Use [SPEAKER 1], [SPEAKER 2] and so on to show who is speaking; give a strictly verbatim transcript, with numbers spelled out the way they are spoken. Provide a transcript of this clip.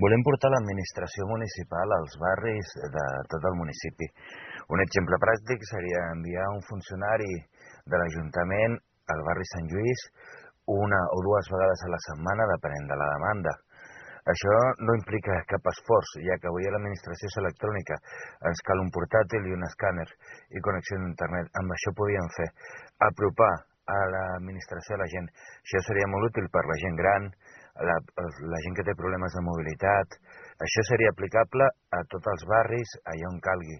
[SPEAKER 1] Volem portar l'administració municipal als barris de tot el municipi. Un exemple pràctic seria enviar un funcionari de l'Ajuntament al barri Sant Lluís una o dues vegades a la setmana, depenent de la demanda. Això no implica cap esforç, ja que avui a l'administració és electrònica. Ens cal un portàtil i un escàner i connexió a internet. Amb això podíem fer apropar a l'administració a la gent. Això seria molt útil per la gent gran, la, la gent que té problemes de mobilitat. Això seria aplicable a tots els barris, allà on calgui.